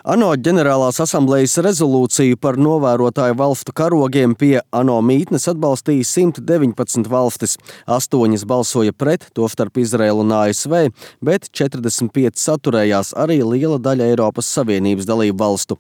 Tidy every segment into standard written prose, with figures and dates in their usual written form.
ANO ģenerālās asamblejas rezolūciju par novērotāju valstu karogiem pie ANO mītnes atbalstīja 119 valstis. 8 balsoja pret, tostarp Izraēlu un ASV, bet 45 saturējās arī liela daļa Eiropas Savienības dalību valstu.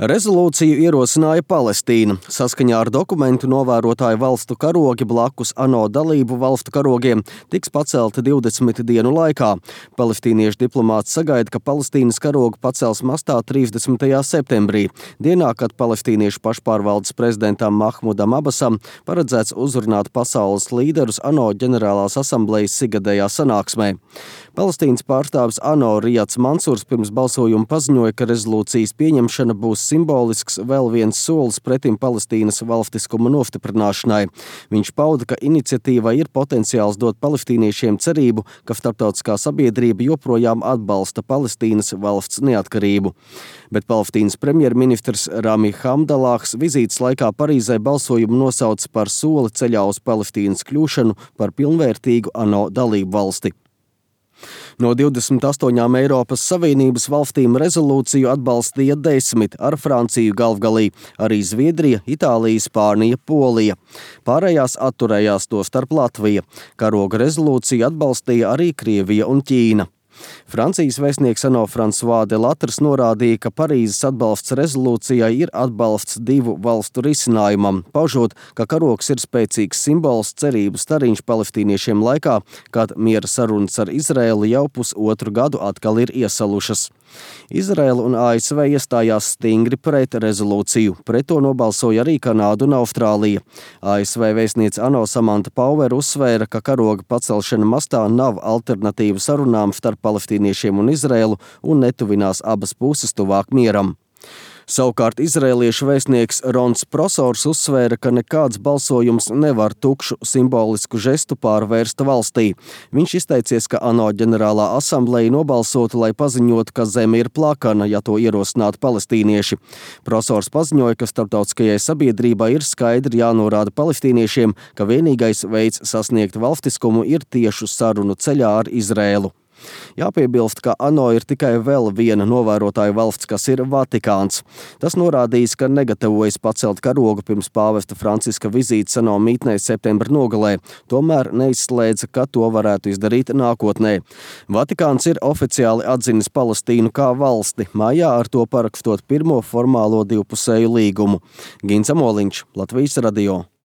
Rezolūciju ierosināja Palestīna. Saskaņā ar dokumentu novērotāju valstu karogi blakus ANO dalību valstu karogiem tiks pacelti 20 dienu laikā. Palestīniešu diplomāts sagaida, ka Palestīnas karogu pacels mastā 30. septembrī, dienā, kad palestīniešu pašpārvaldes prezidentam Mahmudam Abasam paredzēts uzrunāt pasaules līderus ANO ģenerālās asamblejas ikgadējā sanāksmē. Palestīnas pārstāvis ANO Rijads Mansurs pirms balsojuma paziņoja, ka rezolūcijas pieņemšana būs simbolisks vēl viens solis pretim Palestīnas valstiskuma nostiprināšanai. Viņš pauda, ka iniciatīvai ir potenciāls dot palestīniešiem cerību, ka starptautiskā sabiedrība joprojām atbalsta Palestīnas valsts neatkarību. Bet Palestīnas premjerministrs Rami Hamdalāhs vizītes laikā Parīzē balsojumu nosauca par soli ceļā uz Palestīnas kļūšanu par pilnvērtīgu ANO dalību valsti. No 28 Eiropas Savienības valstīm rezolūciju atbalstīja 10 ar Franciju galvgalī, arī Zviedrija, Itālija, Spānija, Polija. Pārējās atturējās, tostarp Latvija. Karoga rezolūciju atbalstīja arī Krievija un Ķīna. Francijas vēstnieks ANO François Delattre norādīja, ka Parīzes atbalsts rezolūcijai ir atbalsts divu valstu risinājumam, paužot, ka karogs ir spēcīgs simbols cerību stariņš palestīniešiem laikā, kad miera sarunas ar Izraēlu jau pusotru gadu atkal ir iesalušas. Izraēla un ASV iestājās stingri pret rezolūciju. Pret to nobalsoja arī Kanāda un Austrālija. ASV vēstniece ANO Samanta Pauver uzsvēra, ka karoga pacelšana mastā nav alternatīva sarunām starp palestīniešiem un Izraēlu un netuvinās abas puses tuvāk mieram. Savukārt izraēliešu vēstnieks Rons Prosors uzsvēra, ka nekāds balsojums nevar tukšu simbolisku žestu pārvērst valstī. Viņš izteicies, ka ANO ģenerālā asambleja nobalsotu, lai paziņotu, ka zeme ir plakana, ja to ierosinātu palestīnieši. Prosors paziņoja, ka starptautiskajai sabiedrībai ir skaidri jānorāda palestīniešiem, ka vienīgais veids sasniegt valstiskumu ir tiešu sarunu ceļā ar Izraēlu. Jāpiebilst, ka ANO ir tikai vēl viena novērotāju valsts, kas ir Vatikāns. Tas norādījis, ka negatavojas pacelt karogu pirms pāvesta Franciska vizītes ANO mītnē septembra nogalē, tomēr neizslēdza, ka to varētu izdarīt nākotnē. Vatikāns ir oficiāli atzinis Palestīnu kā valsti, mājā ar to parakstot pirmo formālo divpusēju līgumu. Gins Amoliņš, Latvijas radio.